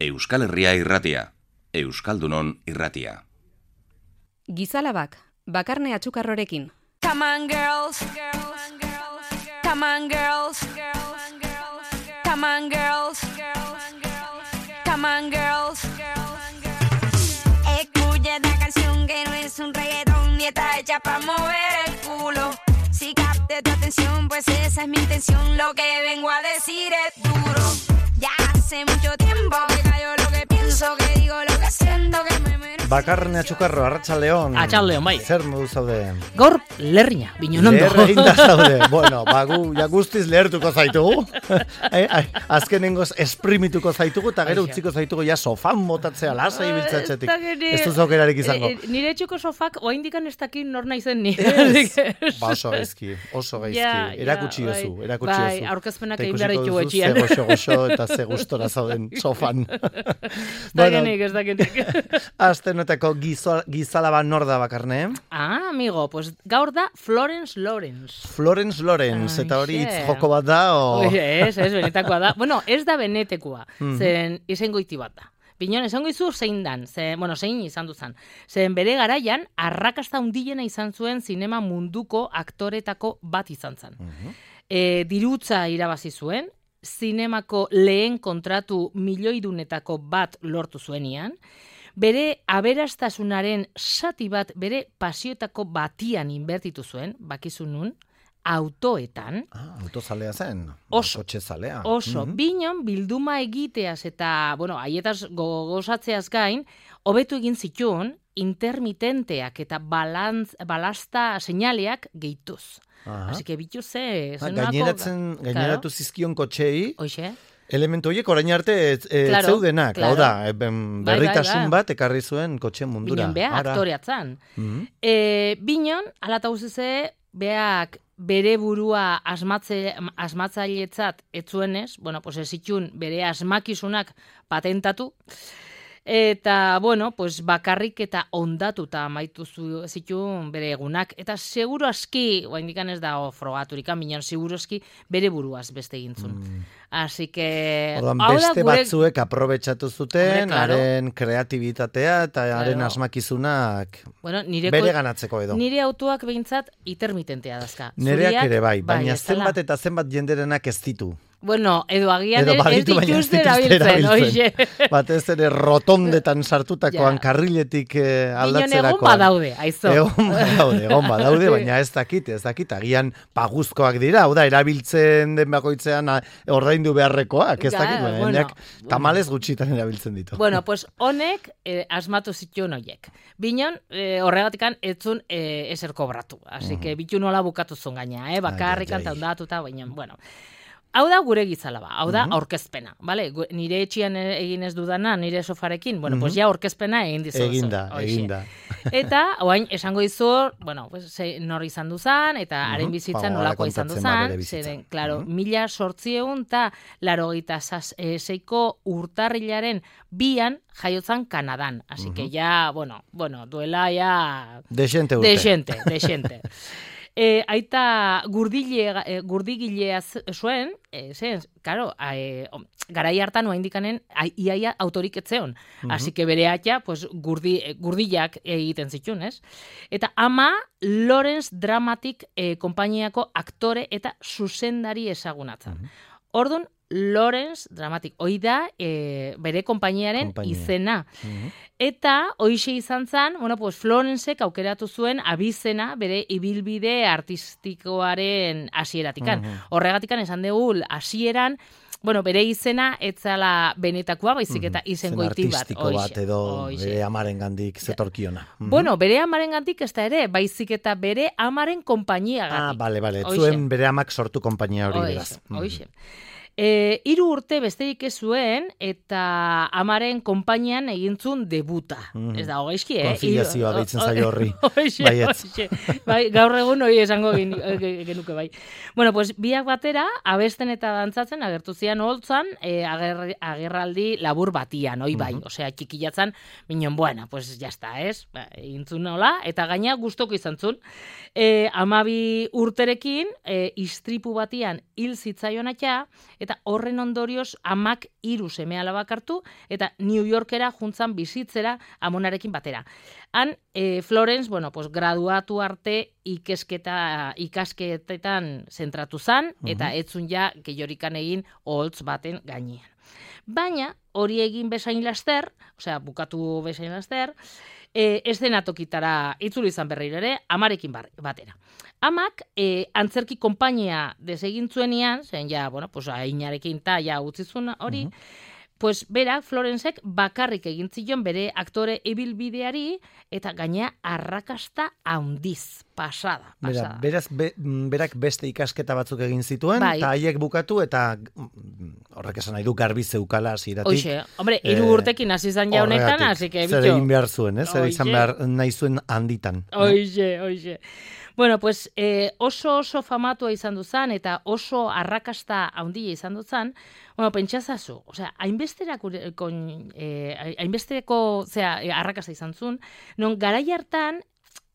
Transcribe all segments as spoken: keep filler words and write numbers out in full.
Euskal Herria irratia, Euskaldunon irratia. Gizalabak, Bakarne Atxukarrorekin. Come on girls, come on girls, come on girls, come on girls. Escucha esta canción que no es un reggaetón ni está hecha para mover el culo. Si capte tu atención, pues esa es mi intención. Lo que vengo a decir es duro. Ya hace mucho tiempo que callo lo que pienso, que digo lo que siento, que me merezco. Bakarne Atxukarro, Arratsaldeon. Atxaldeon, bai. Zer modu zaude? Gaur lerrina, binonondo. Leher eginda zaude. Bueno, bagu, ja guztiz lehertuko zaitugu. ai, ai, azkenengoz esprimituko zaitugu, eta gero utziko zaitugu ja sofan botatzea lasai biltzatzetik. Ez duz aukerarik izango. E, e, nire etxuko sofak, oaindikan ez dakin nor naizen ni. Ba, oso gaizki, oso gaizki. Ja, erakutsi ja, duzu, bai. erakutsi Bai, duzu. aurkezpenak Eta egin behar ikusiko ditugu duzu etxean. Ze goxo goxo eta ze gustora zauden sofan. Ez dakenik, ez dakenik. Astenotako gizalaba nor da Bakarne? Ah, amigo, pues gaur da Florence Lawrence. Florence Lawrence, eta hori Aixe. hitz joko bat da, o... Ez, ez, benetakoa da. Bueno, ez da benetekoa, Mhm. zen izengoiti bat da. Binon, esango izu zein dan, ze, bueno, zein izan duzan. Zen bere garaian, arrakasta handiena izan zuen zinema munduko aktoretako bat izan zen. Mhm. E, dirutza irabazi zuen, zinemako lehen kontratu milioidunetako bat lortu zuenian, bere aberastasunaren sati bat bere pasioetako batian inbertitu zuen, bakizu nun, autoetan, Ah, autozalea zen. Oso. Kotxezalea. oso, Mhm. binon bilduma egiteaz eta, bueno, haietaz gozatzeaz gain, hobetu egin zituen intermitenteak eta balantz, balasta seinaleak gehituz. Aha. Así que bitu ze... Ah, zen nolako- gaineratzen, gaineratu zizkion kotxei, Hoxe, elementu horiek orain arte e, Claro, zeudenak, hau claro. da, e, ben, Bai, bai, berritasun bai. bat ekarri zuen kotxe mundura. binon bea Ara. aktoreatzan. Mhm. E, binon, alata uzize, beak bere burua asmatze, asmatzailetzat etzuenez, bueno, pues ez zitun bere asmakizunak patentatu, eta, bueno, pues bakarrik eta ondatuta amaitu zu- zituen bere egunak, eta seguru aski, oaindikan ez da frogaturik, minon seguru aski bere buruaz beste egintzun. Mm. Así que... Orduan hau da beste gure- batzuek aprobetxatu zuten, Hombre, claro. haren kreatibitatea eta haren Claro. asmakizunak Bueno, nire bere ganatzeko edo. Nire autoak behintzat intermitentea dazka. Nereak Zuriak, ere bai, baina ez dela. zenbat eta zenbat jenderenak ez ditu. Bueno, edo agian Edo ez baditu, baina ez dituzte dituzte erabiltzen, erabiltzen. oixe. Batez ere rotondetan sartutakoan Ja. karriletik eh, Binon aldatzerakoan. egon badaude, aizo. Egon badaude, egon badaude, baina ez dakit, ez dakit, agian paguzkoak dira, hau da, erabiltzen den bakoitzean a, ordaindu beharrekoak, ez Ja, dakit, baina bueno, jendeak tamalez gutxitan erabiltzen ditu. Bueno, pues honek eh, asmatu zituen hoiek. Binon, eh, horregatikan etzun eh, ezer kobratu. Así que bitu nola bukatu zuen gaina, eh? bakarrik Ai, ai, ai. anta ondatuta, baina, bueno. Hau da gure gizalaba, hau da aurkezpena, bale? Gu- Nire etxian e- egin ez dudana, nire sofarekin, bueno, pues ja aurkezpena egin dizu. Eginda, eginda. Eta, oain, esango dizu, bueno, pues, ze, nor izan duzan, eta haren Mhm. bizitza Ba, nolako hala izan kontatzen ba bere duzan, bizitza. zeren, claro, Mhm. mila sortzieun eta larogeita seiko urtarrilaren bian jaiotzan Kanadan. Así que ya, bueno, bueno, duela ya... Desente urte. Desente, desente. E, aita gurdile, e, gurdigilea z- zuen, e, zen, karo, e, garai hartan oa indikanen iaia autorik etzeon. Así que bere atia, pues, gurdi, e, gurdilak egiten zituen, ez? Eta ama Lawrence Dramatic e, konpainiako aktore eta zuzendari ezagunatzen. Ordun Lawrence Dramatic, hoi da e, bere konpainiaren Konpainia. izena. Eta hoixe izan zen, bueno, pues Florencek aukeratu zuen abizena bere ibilbide artistikoaren hasieratikan. Horregatikan esan dugu hasieran, bueno, bere izena etzala benetakoa, baizik eta Zen izengoiti bat. artistiko bat hoixe, edo hoixe. bere amaren gandik zetorkiona. Mhm. Bueno, bere amarengatik ez da ere, baizik eta bere amaren konpainiagatik. Ah, bale, bale, ez Hoixe. zuen bere amak sortu konpainia hori beraz. Hoixe, hoixe. E, hiru urte besterik ez zuen, eta amaren konpainian egintzun debuta. Mhm. Ez da, hogeizki, eh? Konfiliazioa Hiru- deitzen zaio horri. Hoixe, Baietz. hoixe. Bai, gaur egun hori esango gen- ge- genuke bai. Bueno, pues biak batera, abesten eta dantzatzen, agertu zian holtzan, e, ager, agerraldi labur batian, hoi bai. Osea, txikilatzan, minon, bueno, pues ya está, ez? Ba, egintzun nola, eta gaina gustoko izan zun. E, amabi urterekin, e, istripu batian hil zitzaion atxa, eta horren ondorioz amak hiru seme alabak hartu, eta New Yorkera juntzan bizitzera amonarekin batera. Han, e, Florence, bueno, pues, graduatu arte ikesketa, ikasketetan zentratu zan, eta uh-huh. etzun ja gehiorikan egin oholtz baten gainean. Baina, hori egin bezain laster, osea, bukatu bezain laster, e, eszenatokitara itzuli izan berriro ere, amarekin batera. Amak, e, antzerki konpainia desegin zuenian, zen ja, bueno, pues, ainarekin ta, ja, utzizun hori, uh-huh. pues berak, Florencek bakarrik egin zion bere aktore ibilbideari eta gainea arrakasta handiz, pasada, pasada. Bera, beraz, be, berak beste ikasketa batzuk egin zituen, eta bai. Haiek bukatu, eta horrek esan nahi du garbi zeukala hasieratik. Oixe, hombre, hiru eh, urtekin hasi zan ja honetan, hasi que bitxo. Zer egin behar zuen, eh? Zer izan behar nahi zuen handitan. Oixe, eh? oixe. Bueno, pues eh, oso oso famatua izan duzan eta oso arrakasta handia izan duzan, bueno, pentsazazu, osea, hainbesterako eh, hainbesterako, osea, arrakasta izan zuen, non garai hartan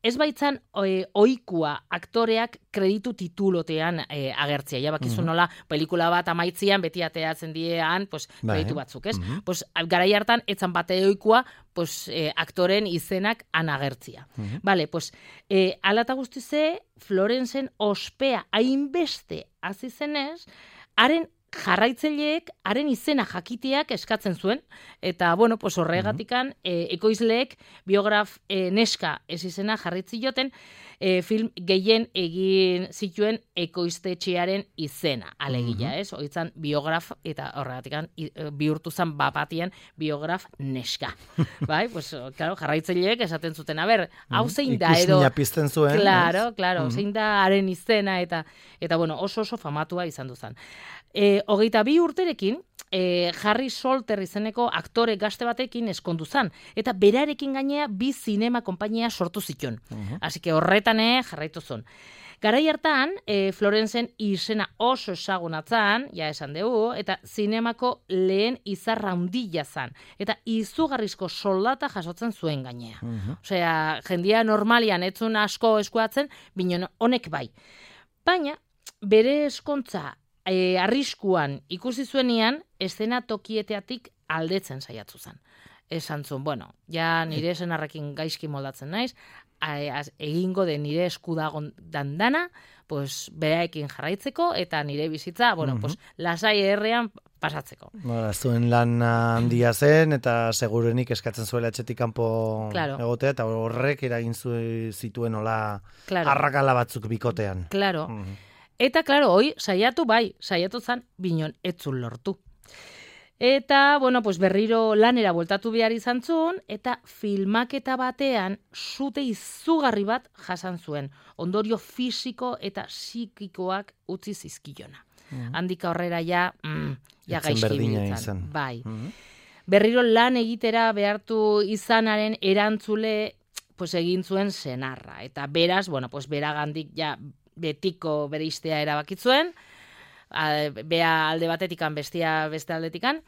ez baitzan e, oikua aktoreak kreditu titulotean e, agertzea. Ja bakizu mm-hmm. nola pelikula bat amaitzian beti ateatzen diean, pues, kreditu batzuk, ez? Mm-hmm. Pues, garai hartan etzan bate oikua pues, e, aktoren izenak an agertzia. Mm-hmm. Vale, pues, e, alata guztize, Florencen ospea hainbeste hasi zenez, haren jarraitzaileek haren izena jakiteak eskatzen zuen, eta, bueno, pues horregatikan, mm-hmm. e, ekoizleek biograf e, neska ez izena jarritzi joten, e, film gehien egin zituen ekoiztetxearen izena, alegia, mm-hmm. ez? Oitzan biograf, eta horregatikan bihurtu zan bapatien biograf neska. Bai, pues, claro, jarraitzaileek esaten zuten, a ber, hau zein da, edo... Ikusmina pizten zuen. Claro, claro, mm-hmm. zein da haren izena, eta, eta bueno, oso oso famatua izan duzan. E, hogeita bi urterekin, e, Harry Solter izeneko aktore gazte batekin eskondu zan, eta berarekin gainea bi zinema konpainia sortu zituen. Uh-huh. Así que horretan jarraitu zuen. Garai hartan, e, Florencen izena oso ezagunatzan, ja esan dugu, eta zinemako lehen izarra handila zan, eta izugarrizko soldata jasotzen zuen gainea. Uh-huh. Osea, jendia normalian etzun asko eskuatzen, binon honek bai. Baina, bere eskontza E, arriskuan ikusi zuenian, eszena tokieteatik aldetzen saiatu zen. Esan zuen, bueno, ja nire esenarrekin gaizki moldatzen naiz, egingo de nire eskudagon dandana, pues, beraekin jarraitzeko, eta nire bizitza, bueno, uh-huh. pues, lasai errean pasatzeko. Bara, zuen lan handia zen, eta segurenik eskatzen zuela etxetik kanpo claro. egotea, eta horrek eragin zituen hola claro. arrakala batzuk bikotean. Claro. Uh-huh. Eta, klaro, hoi, saiatu bai, saiatu zan, binon etzun lortu. Eta, bueno, pues berriro lanera bueltatu behar izan zuen, eta filmaketa batean zute izugarri bat jasan zuen, ondorio fisiko eta psikikoak utzi zizkilona. Mm-hmm. Handika horrera ja, mm, ja gaizki biltzen. Bai. Mm-hmm. Berriro lan egitera behartu izanaren erantzule, pues egin zuen senarra. Eta beraz, bueno, pues beragandik ja, betiko bereiztea erabakitzuen, bea alde batetikan, bestia beste aldetikan,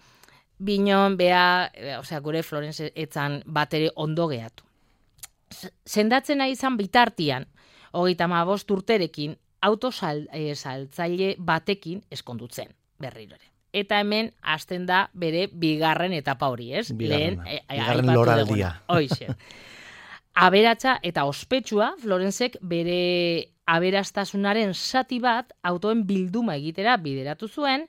binon bea, osea, gure Florence etzan batere ondo gehatu. Sendatzen nahi izan bitartian, hogeita hamabost urterekin, autosaltzaile batekin eskondutzen, berriro ere. Eta hemen hasten da bere bigarren etapa hori, ez? Bigarren, Lehen, bigarren loraldia. Hoixe. Aberatsa eta ospetsua, Florencek bere aberastasunaren zati bat autoen bilduma egitera bideratu zuen,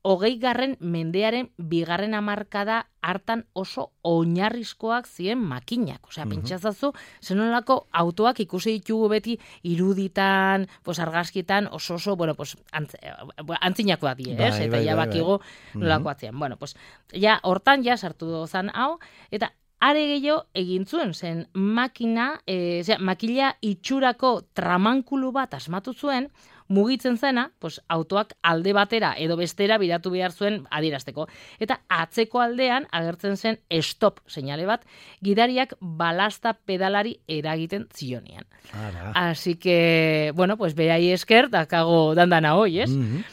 hogei garren mendearen bigarren hamarkada hartan oso oinarrizkoak ziren makinak. Osea, mm-hmm. pentsazazu, zenolako autoak ikusi ditugu beti iruditan, pues, argazkitan, oso oso, bueno, pues, antz, antzinakoak die, ez? Eta ja bakigu nolakoak ziren. Bueno, pues, ja, hortan ja sartu dozan hau, eta are gehiago egin zuen, zen makina, e, zera, makila itxurako tramankulu bat asmatu zuen, mugitzen zena, pues, autoak alde batera edo bestera biratu behar zuen adierazteko. Eta atzeko aldean agertzen zen stop seinale bat, gidariak balasta pedalari eragiten zionean. Así que, bueno, pues berai esker, dakago dandana hoi, ez? Mm-hmm.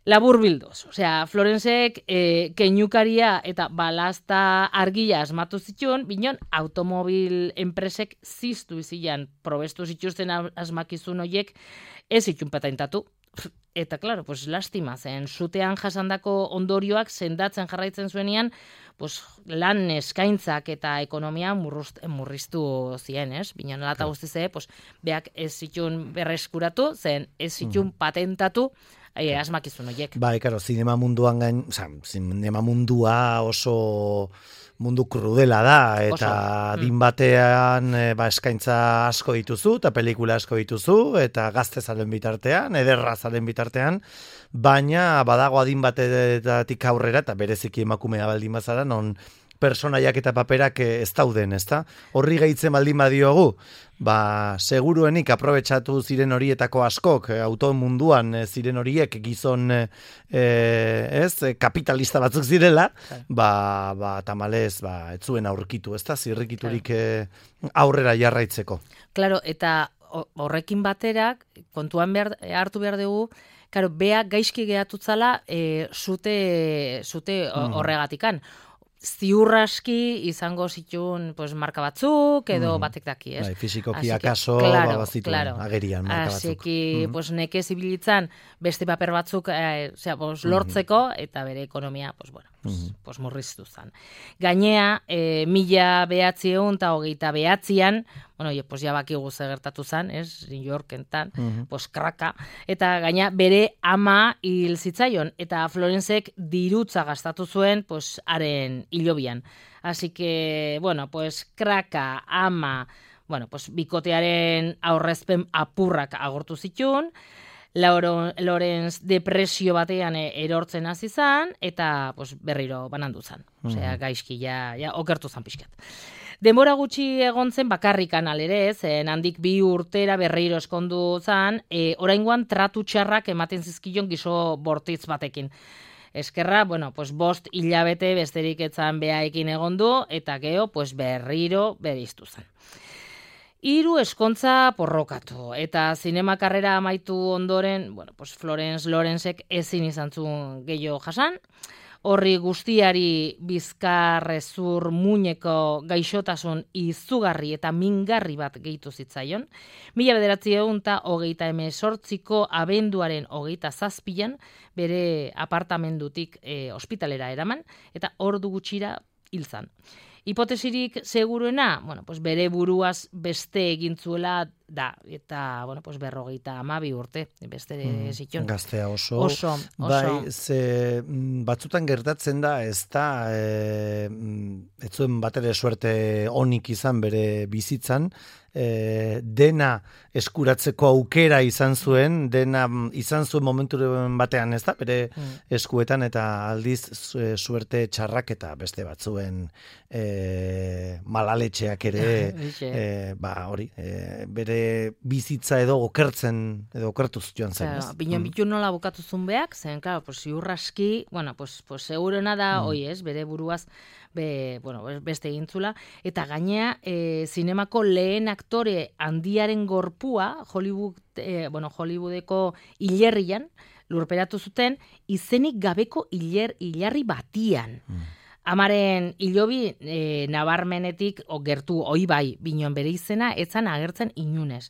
Labur bildoz, osea, Florencek e, keinukaria eta balasta argia asmatu zituen, binon automobil enpresek ziztu izilan probestu zituzten asmakizun horiek ez zituen patentatu. Eta, klaro, pues, lastima zen, sutean jasandako ondorioak sendatzen jarraitzen zuenean, pues, lan eskaintzak eta ekonomia murrust, murriztu zien, ez? Bina nola eta guztize, pues, beak ez zitun berreskuratu, zen ez zitun mm. patentatu, e, asmakizun horiek. Bai, karo, zinema munduan gain, oza, zinema mundua oso mundu krudela da, eta din batean e, ba, eskaintza asko dituzu, eta pelikula asko dituzu, eta gazte zaren bitartean, ederra zaren bitartean, baina badago adin batetik aurrera, eta bereziki emakumea baldin bazara, non personaiak eta paperak ez dauden, ezta? Horri gehitzen baldin badiogu, ba, seguruenik aprobetxatu ziren horietako askok, auto munduan ziren horiek gizon e, ez, kapitalista batzuk zirela, ba, ba tamalez, ba, etzuen aurkitu, ezta? Zirrikiturik e, aurrera jarraitzeko. Claro, eta horrekin baterak, kontuan behar, hartu behar dugu, claro, beak gaizki gehatutzala e, zute, zute horregatikan. Ziurraski izango zituen pues, marka batzuk, edo mm. batek daki, ez? Bai, fizikoki akaso, claro, bazituen, claro. Agerian marka batzuk. Asiki, mm. pues, neke zibilitzan beste paper batzuk eh, osea, pues, lortzeko, eta bere ekonomia, pues, bueno, pues, mm. pues, murriztu zen. Gainea, eh, mila behatziehun eta hogeita behatzian, bueno, pues, ja bakigu ze gertatu zen, ez? New Yorkentan, mm-hmm. pues, kraka, eta gaina bere ama hil zitzaion, eta Florenzek dirutza gastatu zuen, pues, haren hilobian. Así que, bueno, pues, kraka, ama, bueno, pues, bikotearen aurrezpen apurrak agortu zituen, Lorenz depresio batean erortzen hasi zan, eta pues, berriro banandu zan. Osea, gaizki ja, ja okertu zan pixkat. Denbora gutxi egon zen bakarrikan alere, zen handik bi urtera berriro eskondu zan, e, oraingoan tratu txarrak ematen zizkion gizo bortitz batekin. Eskerra, bueno, pues bost hilabete besterik etzan behaekin egondu, eta geho, pues berriro beriztu zan. Hiru eskontza porrokatu, eta zinema karrera amaitu ondoren, bueno, pues Florence Lorenzek ezin izan zuen gehiago jasan, horri guztiari bizkarrezur muñeko gaixotasun izugarri eta mingarri bat gehitu zitzaion, mila bederatziehun eta hogeita hemezortziko abenduaren hogeita zazpian bere apartamendutik e, ospitalera eraman, eta ordu gutxira hil zan. Hipotesirik seguruena, bueno, pues bere buruaz beste egintzuela da, eta, bueno, pues berrogeita amabi urte, beste mm, zitzon. Gaztea oso. Oso, oso. Bai, ze batzutan gertatzen da, ez da, e, ez zuen batere suerte onik izan bere bizitzan, e, dena eskuratzeko aukera izan zuen, dena izan zuen momentu batean, ez da, bere mm. eskuetan, eta aldiz suerte txarrak eta beste batzuen e, malaletxeak ere, e, ba, hori, e, bere bizitza edo okertzen, edo okertuz joan zen. Claro, Binen mm. bitu nola bukatu zunbeak, zen, claro, pues, ziurraski, bueno, pues, pues, segurena da, mm. oi ez, bere buruaz, be, bueno, beste egintzula, eta gainea, e, zinemako lehen aktore handiaren gorpua, Hollywood, e, bueno, Hollywoodeko hilerrian, lurperatu zuten, izenik gabeko hiler, hilarri batian. Mm. Amaren hilobi e, nabarmenetik o, gertu oi bai, binon bere izena, etzan agertzen inunez.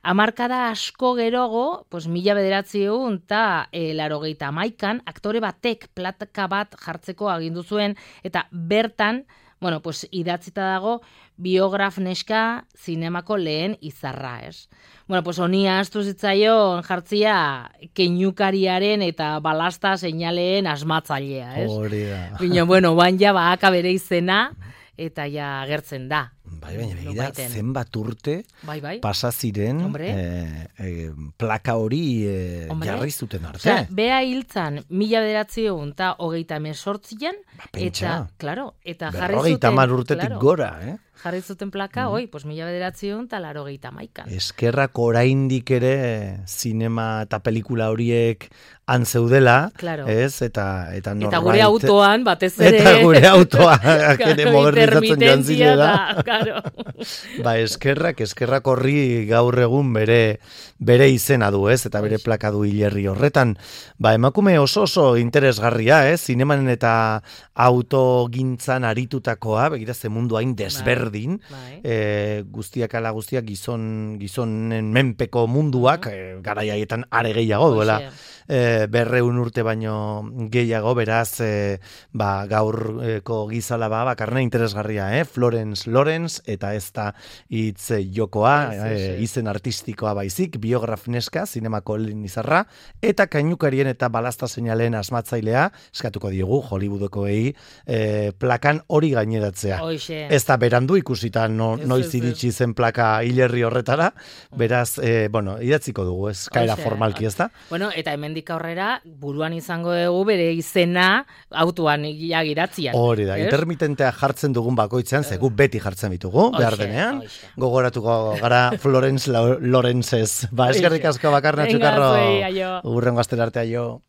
Hamarkada asko gerogo, pues, mila bederatziehun eta e, larogeita hamaikan, aktore batek plaka bat jartzeko agindu zuen, eta bertan, bueno, pues, idatzita dago, biograf neska zinemako lehen izarra, ez? Bueno, pues, honia astu zitzaion jartzia keinukariaren eta balasta seinaleen asmatzailea, ez? Hori da. Bino, bueno, bain ja baaka bere izena, eta ja agertzen da. Bai, baina begira, zenbat urte bai, bai. pasa ziren e, e, plaka hori e, jarri zuten arte. Osea, bea hiltzan mila bederatziehun eta hogeita hemezortzian, ba, eta, claro, eta jarri zuten... Berrogeita hamar urtetik claro, gora, eh? Jarri zuten plaka, mm. oi, pues mila bederatziehun eta larogeita hamaikan. Eskerrak oraindik ere zinema eta pelikula horiek antzeudela, claro. ez? Eta, eta, norbait, eta gure autoan, batez ere... Eta gure autoan, ere modernizatzen joan zinela. Claro. Ba, eskerrak, eskerrak horri gaur egun bere, bere izena du, ez? Eta bere plaka du hilerri horretan. Ba, emakume oso oso interesgarria, ez? Zinemanen eta autogintzan aritutakoa, begira ze mundu hain desberdin berdin, Bai. e, guztiak ala guztiak gizon, gizonen menpeko munduak, e, garai haietan are gehiago duela, e, berreun urte baino gehiago, beraz, e, ba, gaurko gizalaba bakarne interesgarria, eh? Florence Lawrence, eta ez da hitz jokoa, e, izen artistikoa baizik, biograf neska, zinemako lehen izarra, eta kainukarien eta balazta seinalen asmatzailea, eskatuko diogu, Hollywoodkoei, e, plakan hori gaineratzea. Oixe. Ez da berandu ikusita no, Ez, noiz ez, iritsi zen plaka hilerri horretara, beraz, e, bueno, idatziko dugu, ez kaera Oixe. formalki, ez da? Bueno, eta hemendik aurrera, buruan izango dugu bere izena autoan ia giratzian. Hori da, ez? intermitentea jartzen dugun bakoitzean, ze gu beti jartzen ditugu, behar Hoxe, denean, hoxe. gogoratuko gara Florence Lawrenceez. Ba, eskerrik asko Bakarne Venga, Atxukarro, zuei, aio. urrengo astera arte, aio.